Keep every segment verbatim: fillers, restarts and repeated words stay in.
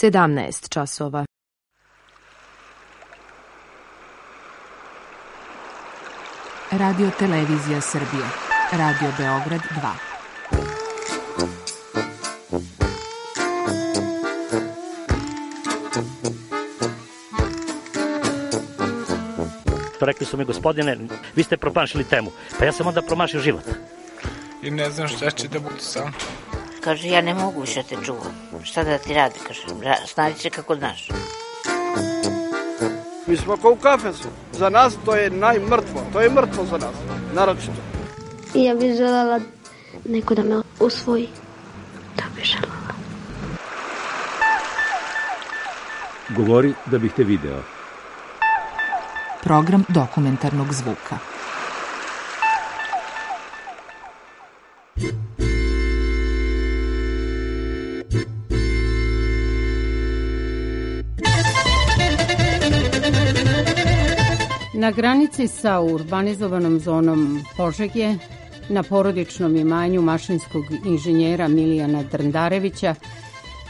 sedamnaest časova. Radio Televizija Srbije. Radio Beograd dva. Rekli su mi, gospodine, vi ste promašili temu. Pa ja sam onda promašio život. I ne znam šta će da bude sam. Kaže, ja ne mogu više te čuvam. Šta da ti radi, kaže, snađi se kako znaš. Mi smo kao u kafesu. Za nas to je najmrtvo. To je mrtvo za nas, naročito. Ja bih želela neko da me usvoji. Da bih želela. Govori da bih te video. Program dokumentarnog zvuka. Na granici sa urbanizovanom zonom Požege, na porodičnom imanju mašinskog inženjera Milijana Drndarevića,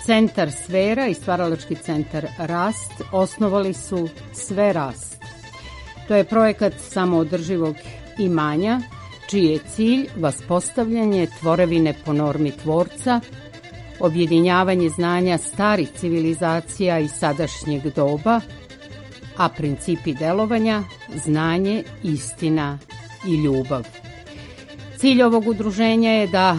Centar Sfera i stvaralački centar Rast osnovali su Sve Rast. To je projekat samoodrživog imanja, čiji je cilj vaspostavljanje tvorevine po normi tvorca, objedinjavanje znanja starih civilizacija i sadašnjeg doba, a principi delovanja, znanje, istina i ljubav. Cilj ovog udruženja je da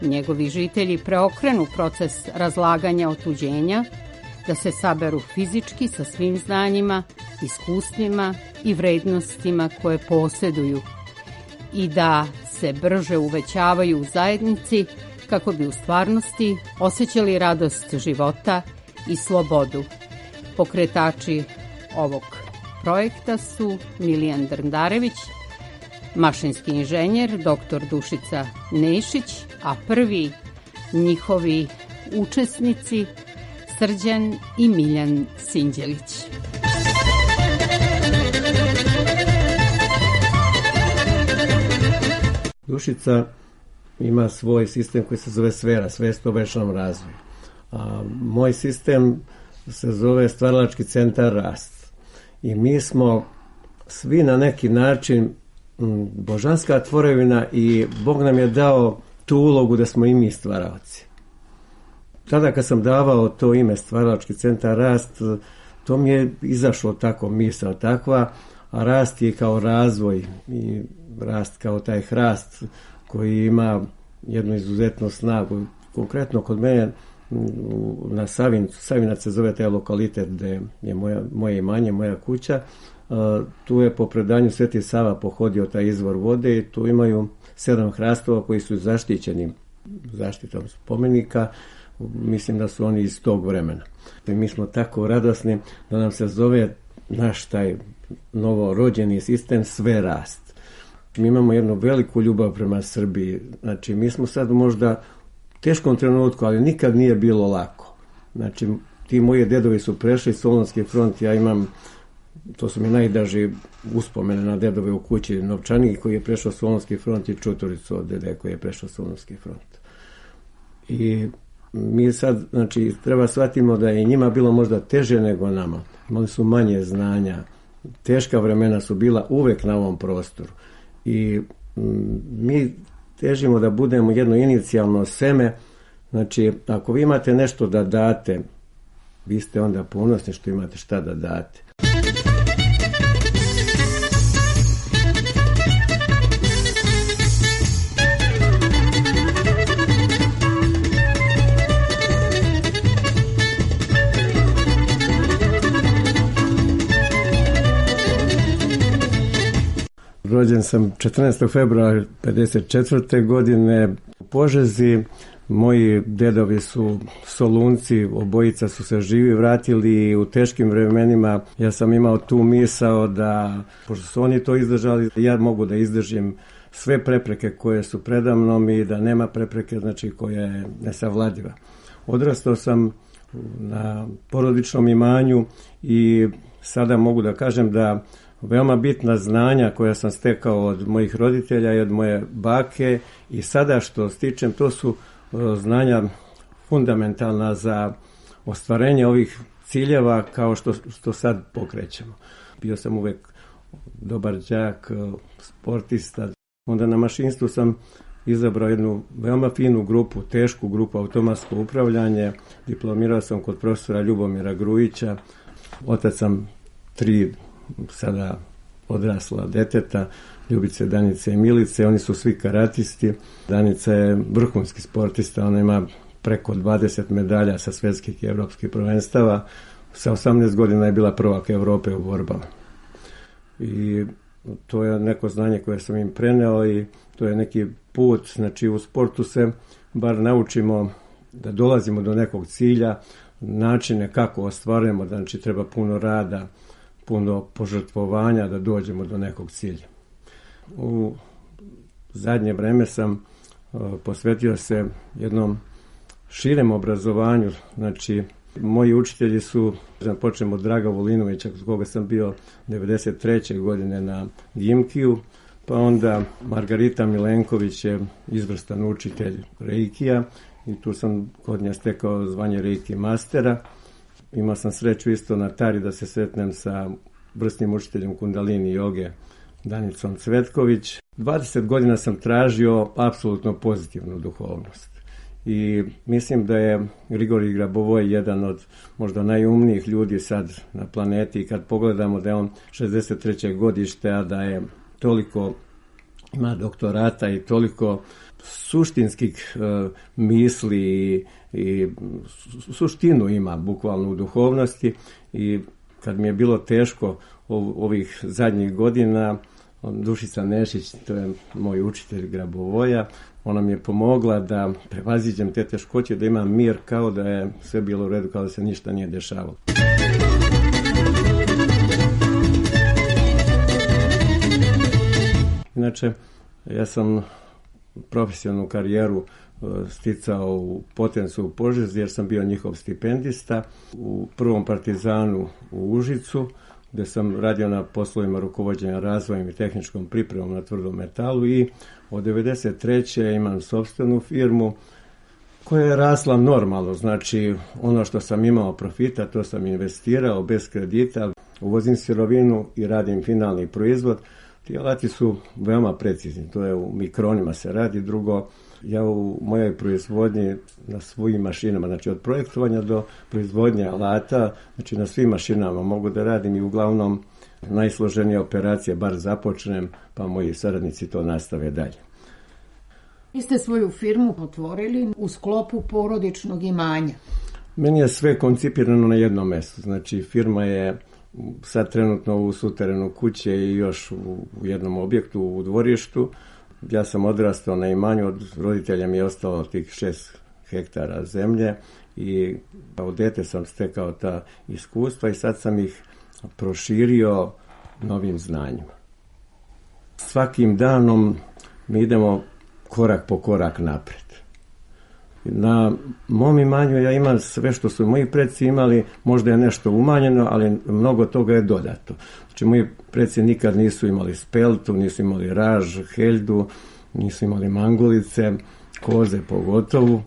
njegovi žitelji preokrenu proces razlaganja otuđenja, da se saberu fizički sa svim znanjima, iskustvima i vrednostima koje posjeduju i da se brže uvećavaju u zajednici kako bi u stvarnosti osjećali radost života i slobodu. Pokretači ovog projekta su Milijan Drndarević, mašinski inženjer, doktor Dušica Nešić, a prvi njihovi učesnici Srđan i Miljan Sinđelić. Dušica ima svoj sistem koji se zove Sfera, svest o večnom razvoju. A moj sistem se zove Stvaralački centar Rast. I mi smo svi na neki način božanska tvorevina i Bog nam je dao tu ulogu da smo i mi stvaraoci. Tada kad sam davao to ime Stvaralački centar Rast, to mi je izašlo tako, misao takva, a rast je kao razvoj i rast kao taj hrast koji ima jednu izuzetnu snagu. Konkretno kod mene na Savincu, Savinac se zove taj lokalitet gde je moja, moje imanje, moja kuća, tu je po predanju Sveti Sava pohodio taj izvor vode i tu imaju sedam hrastova koji su zaštićeni zaštitom spomenika. Mislim da su oni iz tog vremena. I mi smo tako radosni da nam se zove naš taj novorođeni sistem Sve Rast. Mi imamo jednu veliku ljubav prema Srbiji. Znači, mi smo sad možda u teškom trenutku, ali nikad nije bilo lako. Znači, ti moji dedovi su prešli Solunski front, ja imam, to su mi najdraži uspomene na dedove u kući, novčanik koji je prešao Solunski front i čuturicu od dede koji je prešao Solunski front. I mi sad, znači, treba shvatimo da je njima bilo možda teže nego nama. Imali su manje znanja. Teška vremena su bila uvek na ovom prostoru. I mi težimo da budemo jedno inicijalno seme. Znači, ako vi imate nešto da date, vi ste onda ponosni što imate šta da date. Rođen sam četrnaestog februara pedeset četvrte godine u Požezi. Moji dedovi su Solunci, obojica su se živi vratili u teškim vremenima. Ja sam imao tu misao da, pošto su oni to izdržali, ja mogu da izdržim sve prepreke koje su predamnom i da nema prepreke, znači, koja je nesavladiva. Odrastao sam na porodičnom imanju i sada mogu da kažem da veoma bitna znanja koja sam stekao od mojih roditelja i od moje bake i sada što stičem, to su znanja fundamentalna za ostvarenje ovih ciljeva kao što, što sad pokrećemo. Bio sam uvek dobar đak, sportista. Onda na mašinstvu sam izabrao jednu veoma finu grupu, tešku grupu, automatsko upravljanje. Diplomirao sam kod profesora Ljubomira Grujića. Otac sam tri sada odrasla deteta, Ljubice, Danice i Milice. Oni su svi karatisti. Danica je vrhunski sportista, ona ima preko dvadeset medalja sa svetskih i evropskih prvenstava. Sa osamnaest godina je bila prvak Evrope u borbama. I to je neko znanje koje sam im preneo i to je neki put, znači u sportu se bar naučimo da dolazimo do nekog cilja, načine kako ostvarujemo, znači treba puno rada, puno požrtvovanja da dođemo do nekog cilja. U zadnje vreme sam uh, posvetio se jednom širem obrazovanju, znači moji učitelji su, počnemo od Draga Volinovića, s koga sam bio devedeset treće godine na Gimkiju, pa onda Margarita Milenković je izvrstan učitelj reikija i tu sam kod nje stekao zvanje reiki mastera. Imao sam sreću isto na Tari da se sretnem sa vrsnim učiteljem kundalini joge Danicom Cvetković. dvadeset godina sam tražio apsolutno pozitivnu duhovnost. I mislim da je Grigorij Grabovoj jedan od možda najumnijih ljudi sad na planeti i kad pogledamo da je on šezdeset treće godište, a da je toliko ima doktorata i toliko suštinskih uh, misli i, i suštinu ima bukvalno u duhovnosti i kad mi je bilo teško ov, ovih zadnjih godina, Dušica Nešić, to je moj učitelj Grabovoja, ona mi je pomogla da prevaziđem te teškoće, da imam mir kao da je sve bilo u redu, kao da se ništa nije dešavalo. Inače, ja sam profesionalnu karijeru sticao u Potencu u Požegi jer sam bio njihov stipendista u prvom Partizanu u Užicu, gde sam radio na poslovima rukovođenja razvojem i tehničkom pripremom na tvrdom metalu i od devedeset treće imam sopstvenu firmu koja je rasla normalno, znači ono što sam imao profita to sam investirao bez kredita, uvozim sirovinu i radim finalni proizvod. Ti alati su veoma precizni, to je u mikronima se radi. Drugo, ja u mojoj proizvodnji na svojim mašinama, znači od projektovanja do proizvodnje alata, znači na svim mašinama mogu da radim i uglavnom najsloženije operacije bar započnem, pa moji saradnici to nastave dalje. Vi ste svoju firmu otvorili u sklopu porodičnog imanja. Meni je sve koncipirano na jednom mjestu, znači firma je sad trenutno u suterenu kuće i još u jednom objektu u dvorištu. Ja sam odrastao na imanju, od roditelja mi je ostalo tih šest hektara zemlje i kao dete sam stekao ta iskustva i sad sam ih proširio novim znanjima. Svakim danom mi idemo korak po korak napred. Na mom imanju ja imam sve što su moji preci imali, možda je nešto umanjeno, ali mnogo toga je dodato. Znači, moji preci nikad nisu imali speltu, nisu imali raž, heljdu, nisu imali mangulice, koze pogotovo.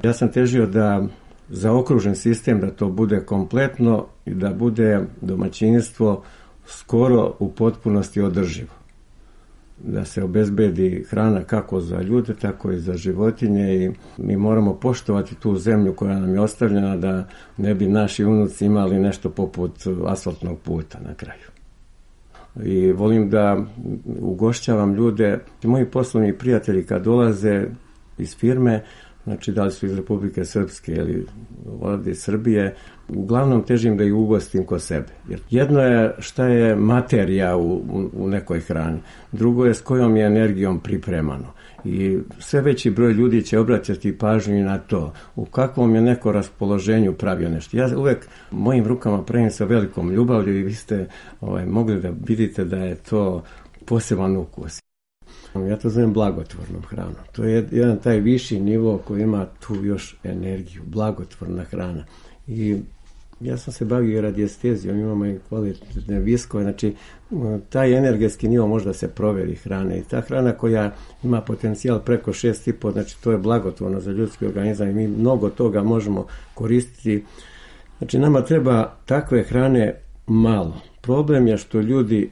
Ja sam težio da zaokružen sistem, da to bude kompletno i da bude domaćinstvo skoro u potpunosti održivo. Da se obezbedi hrana kako za ljude, tako i za životinje i mi moramo poštovati tu zemlju koja nam je ostavljena da ne bi naši unuci imali nešto poput asfaltnog puta na kraju. I volim da ugošćavam ljude, moji poslovni prijatelji kad dolaze iz firme, znači da li su iz Republike Srpske ili ovdje iz Srbije, uglavnom težim da ih ugostim kod sebe. Jer jedno je šta je materija u, u, u nekoj hrani, drugo je s kojom je energijom pripremano. I sve veći broj ljudi će obratiti pažnju i na to, u kakvom je neko raspoloženju pravio nešto. Ja uvek mojim rukama pravim sa velikom ljubavlju i vi ste ovaj, mogli da vidite da je to poseban ukus. Ja to zovem blagotvornom hranom. To je jedan taj viši nivo koji ima tu još energiju, blagotvorna hrana. I Ja sam se bavio radijestezijom, imamo i kvalitetne viskove, znači taj energetski nivo možda se proveri hrane i ta hrana koja ima potencijal preko šest i po, znači to je blagotvorno za ljudski organizam i mi mnogo toga možemo koristiti. Znači nama treba takve hrane malo. Problem je što ljudi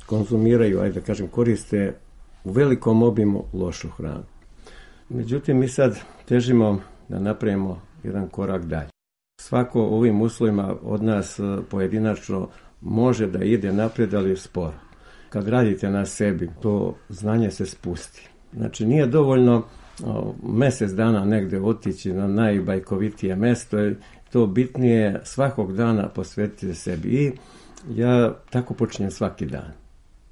konzumiraju, ajde da kažem, koriste u velikom obimu lošu hranu. Međutim, mi sad težimo da napravimo jedan korak dalje. Svako u ovim uslovima od nas pojedinačno može da ide naprijed, ali sporo. Kad radite na sebi, to znanje se spusti. Znači nije dovoljno o, mjesec dana negdje otići na najbajkovitije mesto, to bitnije svakog dana posvetiti sebi. I ja tako počinjem svaki dan.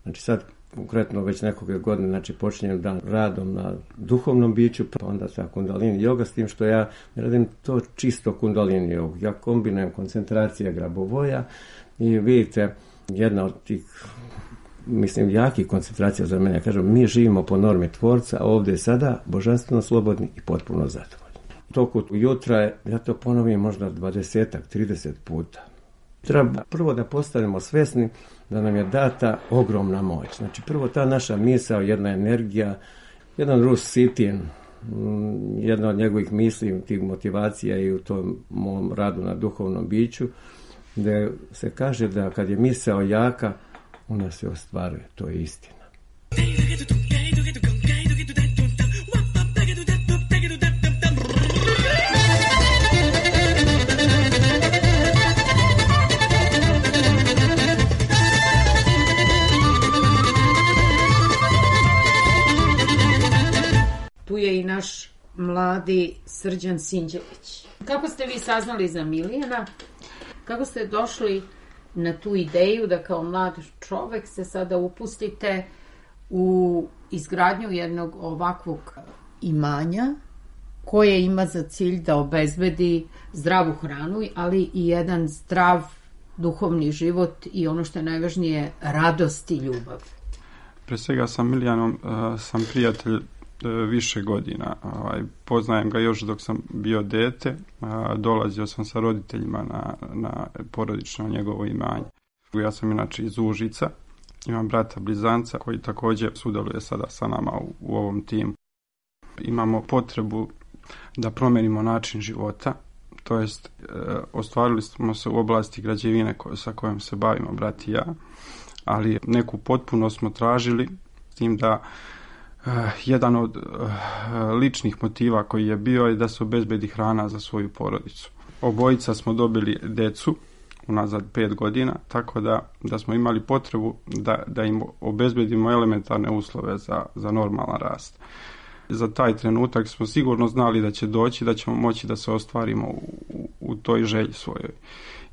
Znači sad konkretno već nekoliko godine, znači počinjem dan radom na duhovnom biću, pa onda sa kundalini joga, s tim što ja radim to čisto kundalini jogu. Ja kombinujem koncentracija grabovoja i vidite, jedna od tih, mislim, jakih koncentracija za mene, kažem, mi živimo po normi tvorca, a ovdje je sada božanstveno slobodni i potpuno zadovoljni. U toku jutra, ja to ponovim možda dvadesetak, trideset puta. Treba prvo da postanemo svjesni da nam je data ogromna moć. Znači prvo ta naša misao, jedna energija, jedan Rus Sitin, jedna od njegovih misli, tih motivacija i u tom mom radu na duhovnom biću, gdje se kaže da kad je misao jaka, ona se ostvaruje. To je istina. Tu je i naš mladi Srđan Sinđelić. Kako ste vi saznali za Milijana? Kako ste došli na tu ideju da kao mlad čovjek se sada upustite u izgradnju jednog ovakvog imanja koje ima za cilj da obezbedi zdravu hranu, ali i jedan zdrav duhovni život i ono što je najvažnije, radost i ljubav? Pre svega sa Milijanom uh, sam prijatelj uh, više godina. Uh, poznajem ga još dok sam bio dete. Uh, dolazio sam sa roditeljima na, na porodično njegovo imanje. Ja sam inače iz Užica. Imam brata blizanca koji također sudjeluje sada sa nama u, u ovom timu. Imamo potrebu da promenimo način života. To jest, uh, ostvarili smo se u oblasti građevine ko, sa kojom se bavimo, brat i ja. Ali neku potpunost smo tražili, s tim da uh, jedan od uh, ličnih motiva koji je bio je da se obezbedi hrana za svoju porodicu. Obojica smo dobili decu unazad pet godina, tako da, da smo imali potrebu da, da im obezbedimo elementarne uslove za, za normalan rast. Za taj trenutak smo sigurno znali da će doći, da ćemo moći da se ostvarimo u, u, u toj želji svojoj.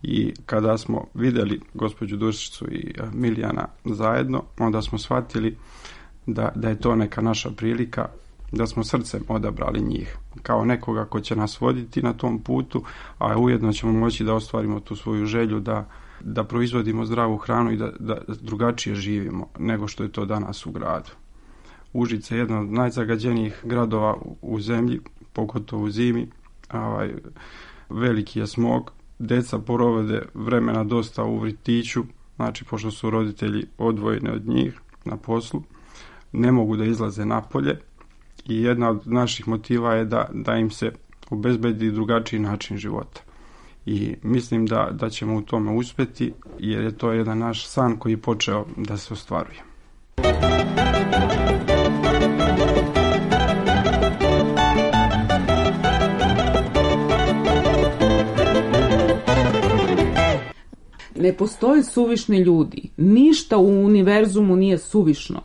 I kada smo vidjeli gospođu Dušicu i Milijana zajedno, onda smo shvatili da, da je to neka naša prilika, da smo srcem odabrali njih kao nekoga ko će nas voditi na tom putu, a ujedno ćemo moći da ostvarimo tu svoju želju da, da proizvodimo zdravu hranu i da, da drugačije živimo nego što je to danas u gradu. Užice je jedan od najzagađenijih gradova u, u zemlji, pogotovo u zimi. Ovaj, veliki je smog. Deca provode vremena dosta u vrtiću, znači pošto su roditelji odvojeni od njih na poslu, ne mogu da izlaze napolje i jedna od naših motiva je da, da im se obezbedi drugačiji način života. I mislim da, da ćemo u tome uspjeti, jer je to jedan naš san koji je počeo da se ostvaruje. Ne postoje suvišni ljudi. Ništa u univerzumu nije suvišno.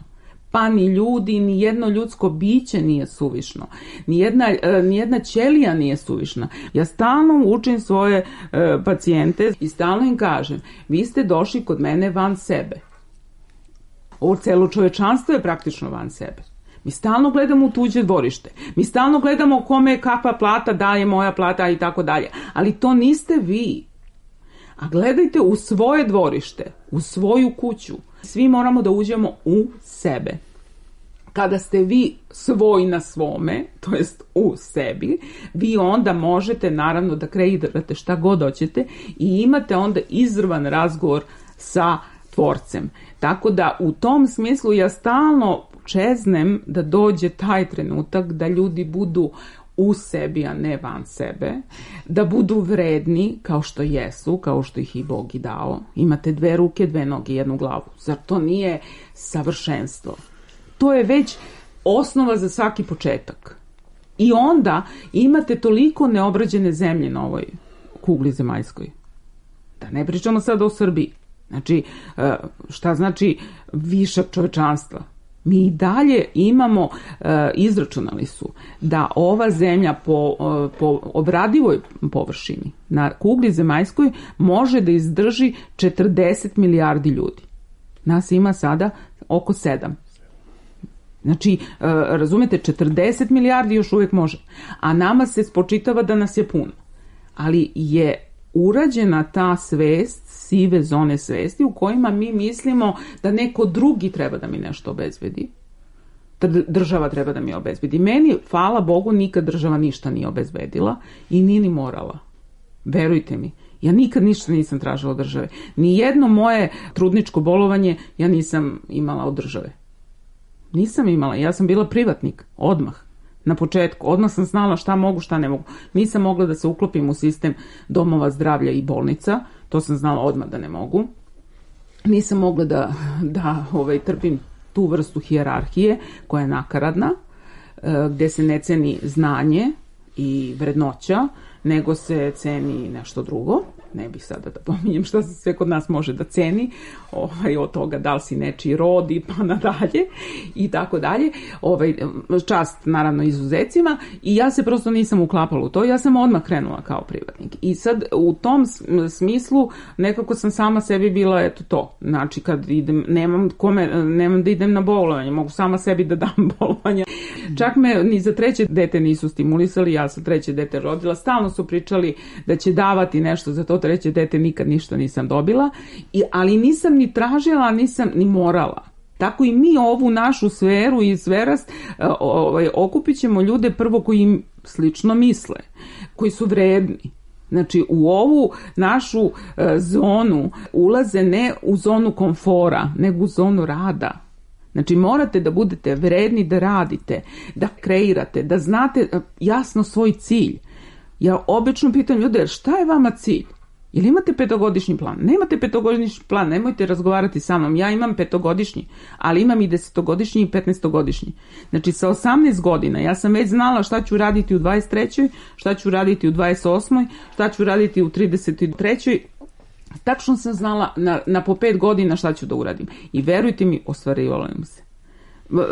Pa ni ljudi, ni jedno ljudsko biće nije suvišno. Nijedna, nijedna ćelija nije suvišna. Ja stalno učim svoje e, pacijente i stalno im kažem, vi ste došli kod mene van sebe. Ovo celo čovečanstvo je praktično van sebe. Mi stalno gledamo u tuđe dvorište. Mi stalno gledamo kome kakva plata daje moja plata i tako dalje. Ali to niste vi. A gledajte u svoje dvorište, u svoju kuću. Svi moramo da uđemo u sebe. Kada ste vi svoj na svome, to jest u sebi, vi onda možete naravno da kreirate šta god hoćete i imate onda izravan razgovor sa tvorcem. Tako da u tom smislu ja stalno čeznem da dođe taj trenutak da ljudi budu u sebi, a ne van sebe, da budu vredni kao što jesu, kao što ih i Bog i dao. Imate dve ruke, dve noge, jednu glavu. Zar to nije savršenstvo? To je već osnova za svaki početak. I onda imate toliko neobrađene zemlje na ovoj kugli zemaljskoj. Da ne pričamo sada o Srbiji. Znači, šta znači višak čovečanstva? Mi i dalje imamo, izračunali su, da ova zemlja po, po obradivoj površini na kugli zemaljskoj može da izdrži četrdeset milijardi ljudi. Nas ima sada oko sedam. Znači, razumete, četrdeset milijardi još uvijek može. A nama se spočitava da nas je puno. Ali je urađena ta svest, sive zone svesti u kojima mi mislimo da neko drugi treba da mi nešto obezbedi. Da država treba da mi obezbedi. Meni, hvala Bogu, nikad država ništa nije obezbedila i nije ni morala. Verujte mi. Ja nikad ništa nisam tražila od države. Nijedno moje trudničko bolovanje ja nisam imala od države. Nisam imala. Ja sam bila privatnik. Odmah. Na početku. Odmah sam znala šta mogu, šta ne mogu. Nisam mogla da se uklopim u sistem domova zdravlja i bolnica. To sam znala odmah da ne mogu. Nisam mogla da, da ovaj, trpim tu vrstu hijerarhije koja je nakaradna, gdje se ne ceni znanje i vrednoća, nego se ceni nešto drugo. Ne bih sada da pominjem šta se sve kod nas može da ceni, ovaj, od toga da li si nečiji rod i pa nadalje i tako dalje. Ovaj, čast naravno izuzecima i ja se prosto nisam uklapala u to, ja sam odmah krenula kao privatnik. I sad u tom smislu nekako sam sama sebi bila eto to. Znači kad idem, nemam, kome, nemam da idem na bolovanje, mogu sama sebi da dam bolovanje. Čak me ni za treće dete nisu stimulisali, ja sam treće dete rodila, stalno su pričali da će davati nešto za to treće dete, nikad ništa nisam dobila, I, ali nisam ni tražila, nisam ni morala. Tako i mi ovu našu sferu i sferast ovaj, okupit ćemo ljude prvo koji im slično misle, koji su vredni. Znači u ovu našu e, zonu ulaze ne u zonu komfora, nego u zonu rada. Znači morate da budete vredni da radite, da kreirate, da znate jasno svoj cilj. Ja obično pitam ljude, šta je vama cilj? Jel imate petogodišnji plan? Nemate petogodišnji plan, nemojte razgovarati sa mnom. Ja imam petogodišnji, ali imam i desetogodišnji i petnaestogodišnji. Znači sa osamnaest godina ja sam već znala šta ću raditi u dvadeset trećoj, šta ću raditi u dvadeset osmoj, šta ću raditi u trideset trećoj. Tačno sam znala na, na po pet godina šta ću da uradim. I verujte mi, ostvarivalo im se.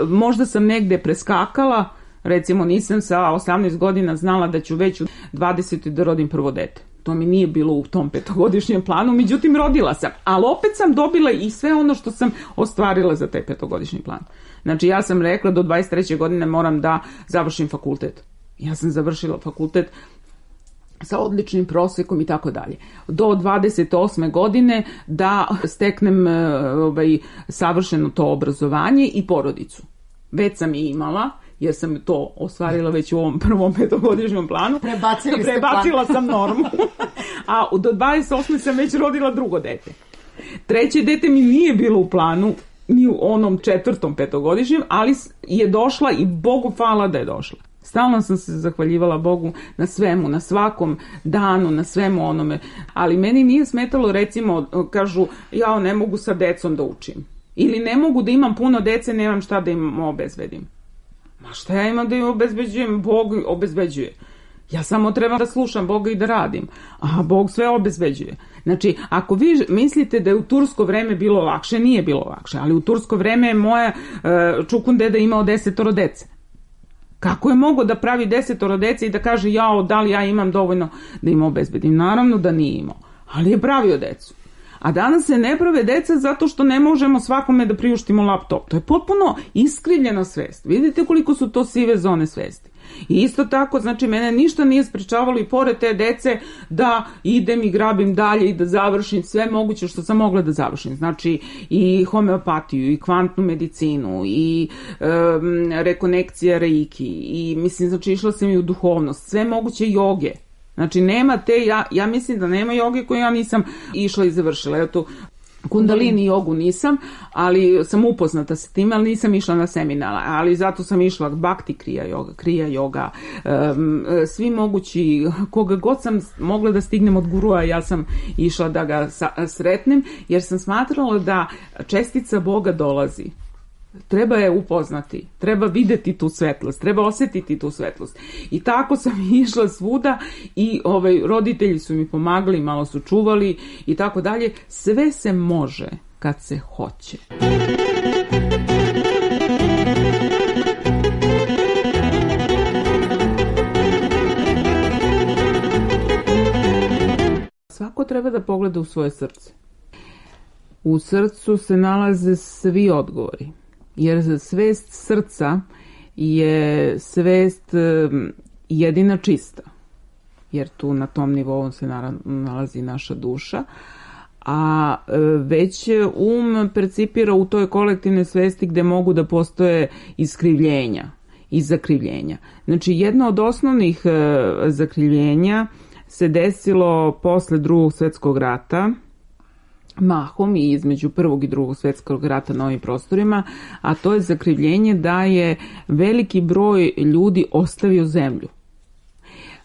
Možda sam negde preskakala, recimo nisam sa osamnaest godina znala da ću već u dvadesetoj da rodim prvo dete. To mi nije bilo u tom petogodišnjem planu, međutim rodila sam. Ali opet sam dobila i sve ono što sam ostvarila za taj petogodišnji plan. Znači ja sam rekla do dvadeset treće godine moram da završim fakultet. Ja sam završila fakultet sa odličnim prosekom i tako dalje. Do dvadeset osme godine da steknem ovaj, savršeno to obrazovanje i porodicu. Već sam i imala, jer sam to ostvarila već u ovom prvom petogodišnjem planu. Prebacili ste Prebacila plan. sam normu. A do dvadeset osme sam već rodila drugo dete. Treće dete mi nije bilo u planu, ni u onom četvrtom petogodišnjem, ali je došla i Bogu hvala da je došla. Stalno sam se zahvaljivala Bogu na svemu, na svakom danu, na svemu onome. Ali meni nije smetalo, recimo, kažu, ja ne mogu sa decom da učim. Ili ne mogu da imam puno dece, nemam šta da im obezbedim. Ma šta ja imam da im obezbeđujem? Bog obezbeđuje. Ja samo trebam da slušam Boga i da radim. A Bog sve obezbeđuje. Znači, ako vi mislite da je u tursko vreme bilo lakše, nije bilo lakše. Ali u tursko vreme je moja uh, čukun deda imao desetoro dece. Kako je mogo da pravi desetoro dece i da kaže, jao, da li ja imam dovoljno da im obezbedim? Naravno da nije imao. Ali je pravio decu. A danas se ne prave deca zato što ne možemo svakome da priuštimo laptop. To je potpuno iskrivljena svest. Vidite koliko su to sive zone svesti. I isto tako, znači, mene ništa nije sprečavalo i pored te dece da idem i grabim dalje i da završim sve moguće što sam mogla da završim. Znači, i homeopatiju, i kvantnu medicinu, i um, rekonekcija reiki, i mislim, znači, išla sam i u duhovnost, sve moguće joge. Znači, nema te, ja, ja mislim da nema joge koju ja nisam išla i završila. Evo tu, Kundalini jogu nisam, ali sam upoznata sa tim, ali nisam išla na seminara, ali zato sam išla Bhakti krija joga, krija joga, um, svi mogući, koga god sam mogla da stignem od gurua, ja sam išla da ga sa, sretnem, jer sam smatrala da čestica Boga dolazi. Treba je upoznati, treba videti tu svetlost, treba osjetiti tu svetlost. I tako sam išla svuda i ovaj, roditelji su mi pomagali, malo su čuvali i tako dalje. Sve se može kad se hoće. Svako treba da pogleda u svoje srce. U srcu se nalaze svi odgovori. Jer svest srca je svest jedina čista, jer tu na tom nivou se nalazi naša duša, a već um percipira u toj kolektivnoj svesti gde mogu da postoje iskrivljenja i zakrivljenja. Znači, jedno od osnovnih zakrivljenja se desilo posle Drugog svjetskog rata, mahom i između Prvog i Drugog svjetskog rata na ovim prostorima, a to je zakrivljenje da je veliki broj ljudi ostavio zemlju.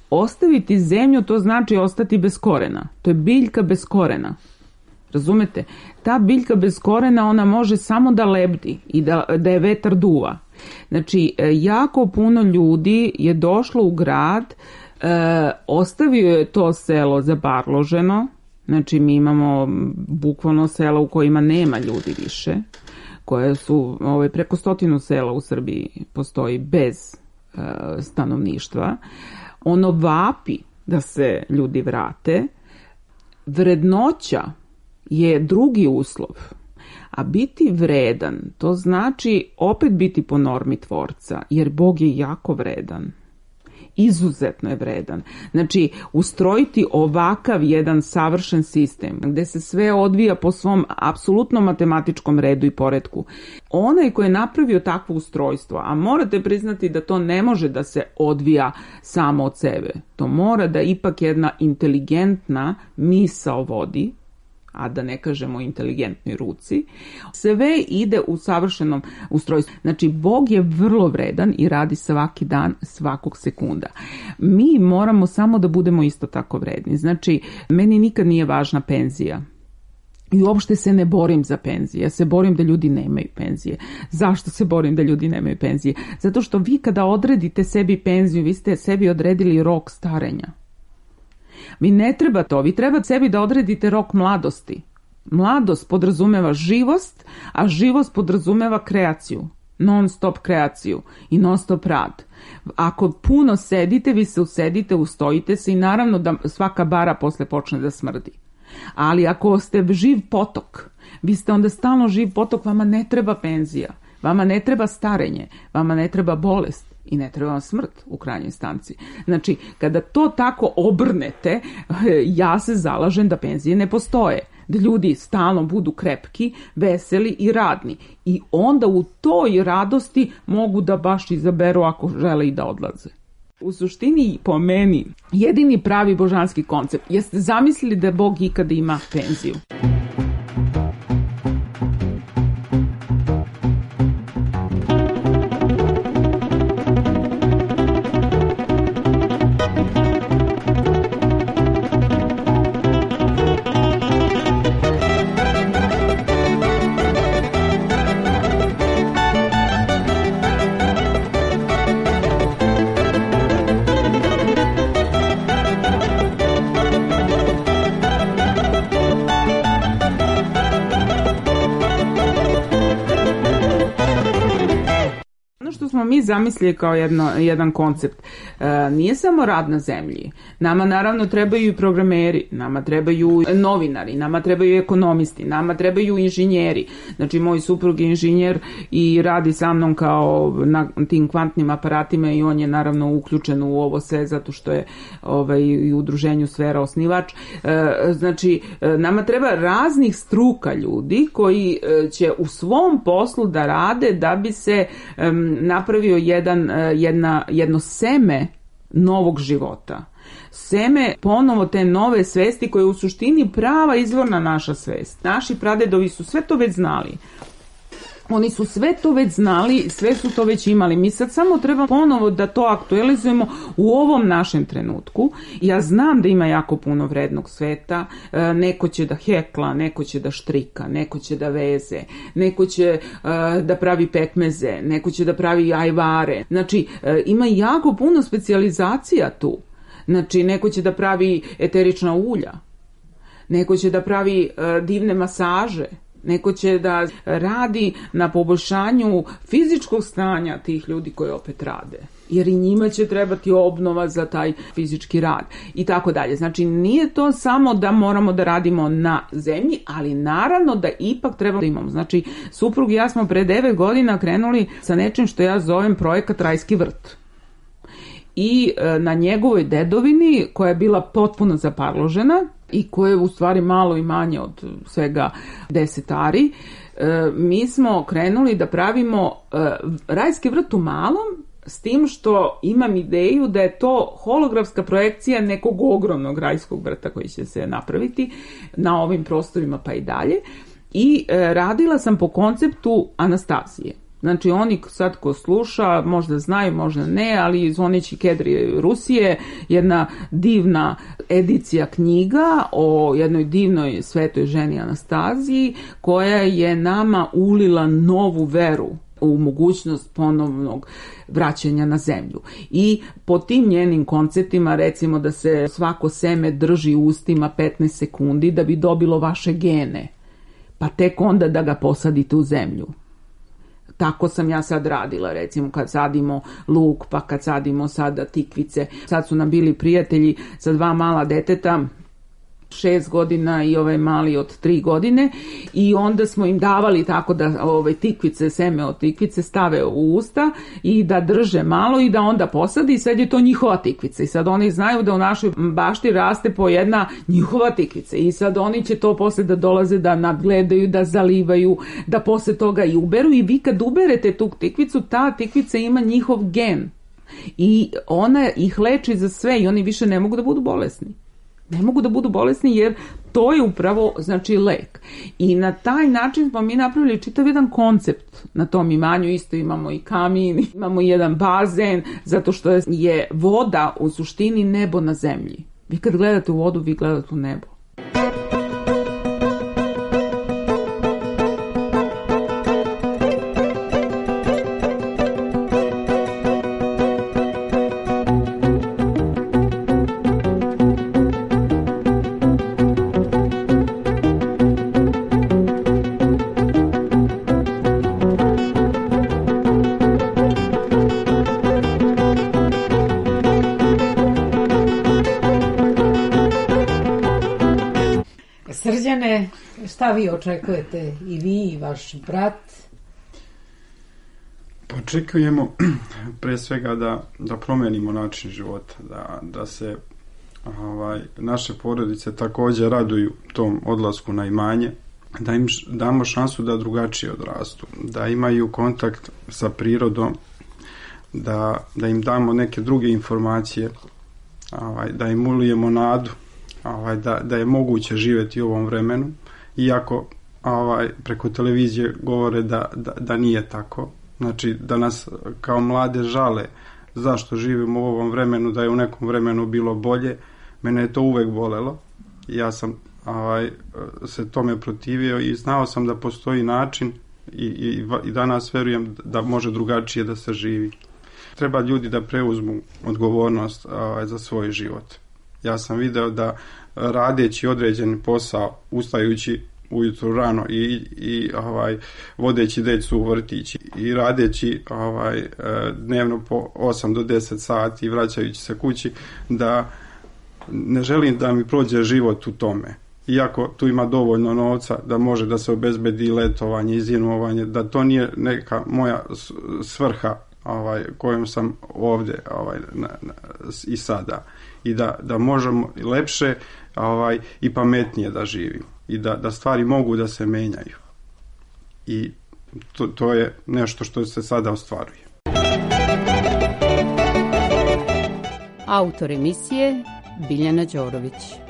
Ostaviti zemlju, to znači ostati bez korena. To je biljka bez korena. Razumete? Ta biljka bez korena, ona može samo da lebdi i da, da je vetar duva. Znači, jako puno ljudi je došlo u grad, e, ostavio je to selo zabarloženo. Znači, mi imamo bukvalno sela u kojima nema ljudi više, koje su, ovaj, preko stotinu sela u Srbiji postoji bez e, stanovništva. Ono vapi da se ljudi vrate. Vrednoća je drugi uslov, a biti vredan, to znači opet biti po normi tvorca, jer Bog je jako vredan. Izuzetno je vredan. Znači, ustrojiti ovakav jedan savršen sistem, gde se sve odvija po svom apsolutno matematičkom redu i poretku. Onaj ko je napravio takvo ustrojstvo, a morate priznati da to ne može da se odvija samo od sebe. To mora da ipak jedna inteligentna misao vodi, a da ne kažemo inteligentnoj ruci, sve ide u savršenom ustrojstvu. Znači, Bog je vrlo vredan i radi svaki dan, svakog sekunda. Mi moramo samo da budemo isto tako vredni. Znači, meni nikad nije važna penzija. I uopšte se ne borim za penzije. Ja se borim da ljudi nemaju penzije. Zašto se borim da ljudi nemaju penzije? Zato što vi kada odredite sebi penziju, vi ste sebi odredili rok starenja. Mi ne treba to, vi treba sebi da odredite rok mladosti. Mladost podrazumeva živost, a živost podrazumeva kreaciju, non stop kreaciju i non stop rad. Ako puno sedite, vi se usedite, ustojite se i naravno da svaka bara posle počne da smrdi. Ali ako ste živ potok, vi ste onda stalno živ potok, vama ne treba penzija, vama ne treba starenje, vama ne treba bolest. I ne treba vam smrt u krajnjoj instanci. Znači, kada to tako obrnete, ja se zalažem da penzije ne postoje. Da ljudi stalno budu krepki, veseli i radni. I onda u toj radosti mogu da baš izaberu ako žele i da odlaze. U suštini, po meni, jedini pravi božanski koncept jeste zamislili da Bog ikada ima penziju. Mi zamislili kao jedno, jedan koncept. nije samo rad na zemlji. Nama naravno trebaju i programeri, nama trebaju novinari, nama trebaju ekonomisti, nama trebaju inženjeri. Znači, moj suprug je inženjer i radi sa mnom kao na tim kvantnim aparatima i on je naravno uključen u ovo sve zato što je ovaj, i u udruženju Sfera osnivač. Znači, nama treba raznih struka ljudi koji će u svom poslu da rade da bi se um, napravio jedan, jedna, jedno seme novog života. Seme ponovo te nove svesti koje je u suštini prava izvorna naša svest. Naši pradedovi su sve to već znali. Oni su sve to već znali, sve su to već imali. Mi sad samo treba ponovo da to aktualizujemo u ovom našem trenutku. Ja znam da ima jako puno vrednog sveta. Neko će da hekla, neko će da štrika, neko će da veze, neko će da pravi pekmeze, neko će da pravi ajvare. Znači, ima jako puno specijalizacija tu. Znači, neko će da pravi eterična ulja, neko će da pravi divne masaže, neko će da radi na poboljšanju fizičkog stanja tih ljudi koji opet rade. Jer i njima će trebati obnova za taj fizički rad i tako dalje. Znači, nije to samo da moramo da radimo na zemlji, ali naravno da ipak treba da imamo. Znači, suprug i ja smo pre devet godina krenuli sa nečim što ja zovem projekat Rajski vrt. I na njegovoj dedovini, koja je bila potpuno zaparložena i koja je u stvari malo i manje od svega deset ari, mi smo krenuli da pravimo rajski vrt u malom, s tim što imam ideju da je to holografska projekcija nekog ogromnog rajskog vrta koji će se napraviti na ovim prostorima pa i dalje. I radila sam po konceptu Anastazije. Znači, oni sad ko sluša, možda znaju, možda ne, ali Zvoneći kedri Rusije, jedna divna edicija knjiga o jednoj divnoj svetoj ženi Anastaziji, koja je nama ulila novu veru u mogućnost ponovnog vraćanja na zemlju. I po tim njenim konceptima, recimo da se svako seme drži u ustima petnaest sekundi da bi dobilo vaše gene, pa tek onda da ga posadite u zemlju. Tako sam ja sad radila, recimo kad sadimo luk, pa kad sadimo sada tikvice. Sad su nam bili prijatelji sa dva mala deteta, šest godina i ovaj mali od tri godine, i onda smo im davali tako da ove tikvice, seme od tikvice stave u usta i da drže malo i da onda posadi, i sad je to njihova tikvica. I sad oni znaju da u našoj bašti raste po jedna njihova tikvica i sad oni će to posle da dolaze da nadgledaju, da zalivaju, da posle toga i uberu, i vi kad uberete tu tikvicu, ta tikvica ima njihov gen i ona ih leči za sve i oni više ne mogu da budu bolesni. Ne mogu da budu bolesni jer to je upravo, znači, lek. I na taj način smo mi napravili čitav jedan koncept na tom imanju. Isto imamo i kamin, imamo i jedan bazen, zato što je voda u suštini nebo na zemlji. Vi kad gledate u vodu, vi gledate u nebo. Srđane, šta vi očekujete i vi i vaš brat? Očekujemo pre svega da, da promenimo način života, da, da se ovaj, naše porodice također raduju tom odlasku na imanje, da im damo šansu da drugačije odrastu, da imaju kontakt sa prirodom, da, da im damo neke druge informacije, ovaj, da im ulijemo nadu, ovaj, da, da je moguće živjeti u ovom vremenu, iako ovaj, preko televizije govore da, da, da nije tako. Znači da nas kao mlade žale zašto živimo u ovom vremenu, da je u nekom vremenu bilo bolje. Mene je to uvek bolelo. Ja sam ovaj, se tome protivio i znao sam da postoji način i, i, i danas verujem da može drugačije da se živi. Treba ljudi da preuzmu odgovornost ovaj, za svoj život. Ja sam video da radeći određeni posao, ustajući ujutru rano i, i ovaj, vodeći djecu u vrtić i radeći ovaj, dnevno po osam do deset sati i vraćajući se kući, da ne želim da mi prođe život u tome. Iako tu ima dovoljno novca da može da se obezbedi letovanje i zimovanje, da to nije neka moja svrha ovaj, kojom sam ovdje ovaj, na, na, i sada. I da, da možemo lepše ovaj, i pametnije da živim. I da, da stvari mogu da se menjaju. I to, to je nešto što se sada ostvaruje. Autor emisije Biljana Đorović.